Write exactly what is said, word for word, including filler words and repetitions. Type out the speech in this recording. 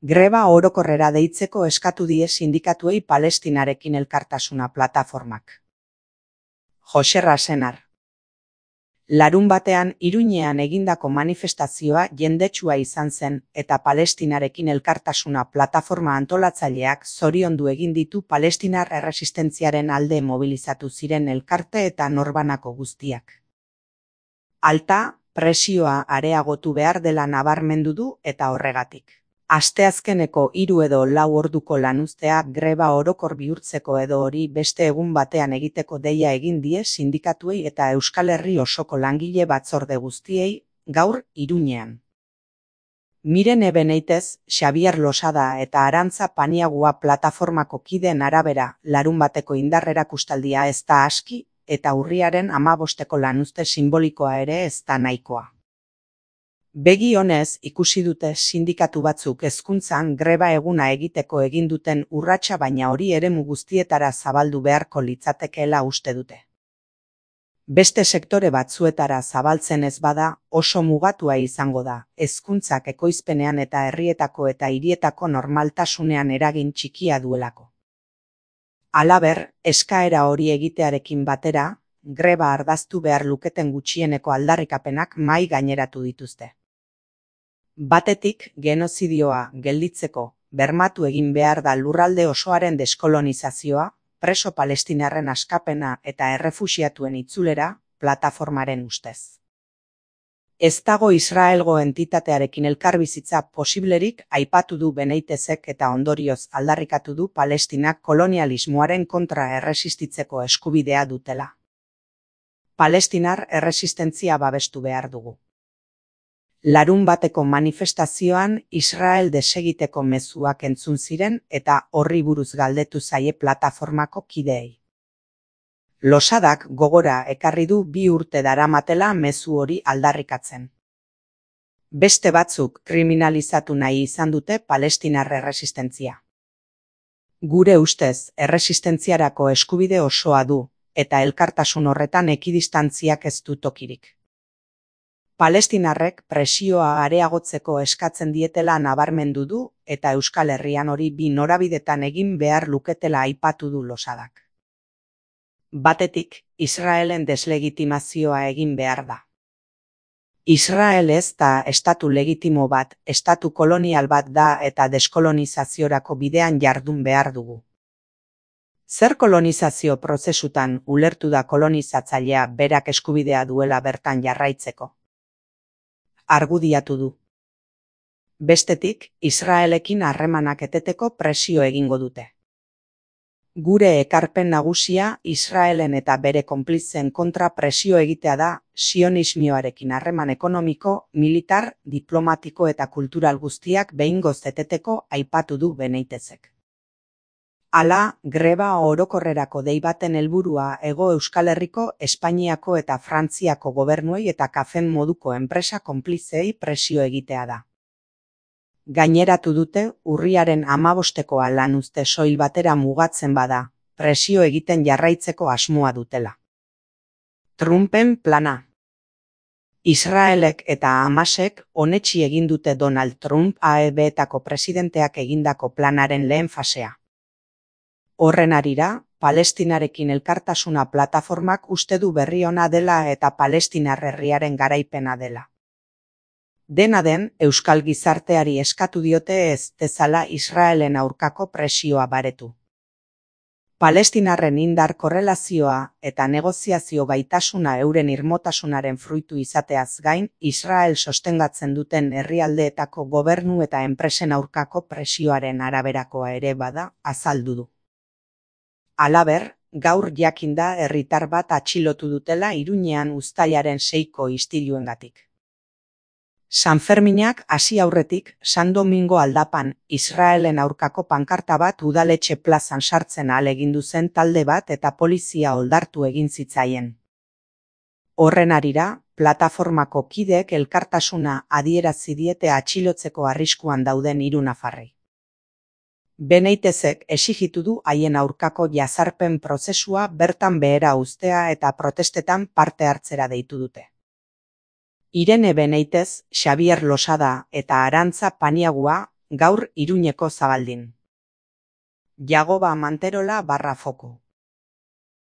Greba orokorrera deitzeko eskatu die sindikatuei Palestinarekin elkartasuna plataformak. Joserra Senar. Larun batean Iruñean egindako manifestazioa jendetsua izan zen eta Palestinarekin elkartasuna plataforma antolatzaileak zoriondu egin ditu palestinar erresistentziaren alde mobilizatu ziren elkarte eta norbanako guztiak. Alta, presioa areagotu behar dela nabarmendu du eta horregatik. Asteazkeneko hiru edo lau orduko lanuztea greba orokor bihurtzeko edo hori beste egun batean egiteko deia egin die sindikatuei eta Euskal Herri osoko langile batzorde guztiei, gaur Iruñean. Miren Ebeneitez, Xabier Losada eta Arantza Paniagua plataformako kideen arabera larun bateko indarrerakustaldia ez da aski eta urriaren hamabosteko lanuzte simbolikoa ere ez da nahikoa. Begi honez ikusi dute sindikatu batzuk hezkuntzan greba eguna egiteko egin duten urratsa baina hori eremu guztietara zabaldu beharko litzatekeela uste dute. Beste sektore batzuetara zabaltzen ez bada oso mugatua izango da, hezkuntzak ekoizpenean eta herrietako eta hirietako normaltasunean eragin txikia duelako. Halaber, eskaera hori egitearekin batera, greba ardaztu behar luketen gutxieneko aldarrikapenak mahai gaineratu dituzte. Batetik, genozidioa gelditzeko bermatu egin behar da lurralde osoaren deskolonizazioa, preso palestinarren askapena eta errefuxiatuen itzulera, plataformaren ustez. Ez dago Israelgo entitatearekin elkarbizitza posiblerik aipatu du Beneitezek eta ondorioz aldarrikatu du Palestinak kolonialismoaren kontra erresistitzeko eskubidea dutela. Palestinar erresistentzia babestu behar dugu. Larun bateko manifestazioan Israel desegiteko mezuak entzun ziren eta horri buruz galdetu zaie plataformako kideei. Losadak gogora ekarri du bi urte daramatela mezu hori aldarrikatzen. Beste batzuk kriminalizatu nahi izan dute palestinar erresistentzia. Gure ustez erresistentziarako eskubide osoa du eta elkartasun horretan ekidistantziak ez du tokirik. Palestinarrek presioa areagotzeko eskatzen dietela nabarmendu du eta Euskal Herrian hori bi norabidetan egin behar luketela aipatu du Losadak. Batetik, Israelen deslegitimazioa egin behar da. Israel ez da estatu legitimo bat, estatu kolonial bat da eta deskolonizaziorako bidean jardun behar dugu. Zer kolonizazio prozesutan ulertu da kolonizatzailea berak eskubidea duela bertan jarraitzeko? Argudiatu du. Bestetik, Israelekin harremanak eteteko presio egingo dute. Gure ekarpen nagusia Israelen eta bere konplizen kontra presio egitea da sionismoarekin harreman ekonomiko, militar, diplomatiko eta kultural guztiak behingoz eteteko aipatu du Beneitezek. Hala, greba orokorrerako dei baten helburua Hego Euskal Herriko, Espainiako eta Frantziako gobernuei eta kafen moduko enpresa konplizei presio egitea da. Gaineratu dute urriaren hamabostekoa lanuzte soil batera mugatzen bada, presio egiten jarraitzeko asmoa dutela. Trumpen plana. Israelek eta Hamasek onetsi egin dute Donald Trump A E B-etako presidenteak egindako planaren lehen fasea. Horren harira, Palestinarekin elkartasuna plataformak uste du berri ona dela eta palestinar herriaren garaipena dela. Dena den, Euskal gizarteari eskatu diote ez dezala Israelen aurkako presioa baretu. Palestinarren indar korrelazioa eta negoziazio gaitasuna euren irmotasunaren fruitu izateaz gain, Israel sostengatzen duten herrialdeetako gobernu eta enpresen aurkako presioaren araberakoa ere bada azaldu du. Halaber, gaur jakinda herritar bat atxilotu dutela Iruñean uztailaren seiko istiluengatik. Sanferminak hasi aurretik San Domingo aldapan Israelen aurkako pankarta bat udaletxe plazan sartzen ahalegindu zen talde bat eta polizia oldartu egin zitzaien. Horren harira, plataformako kideek elkartasuna adierazi diete atxilotzeko arriskuan dauden hiru nafarrei. Beneitezek exigitu du haien aurkako jazarpen prozesua bertan behera uztea eta protestetan parte hartzera deitu dute. Irene Beneitez, Xabier Losada eta Arantza Paniagua gaur Iruñeko Zabaldin. Jagoba Manterola barra foku.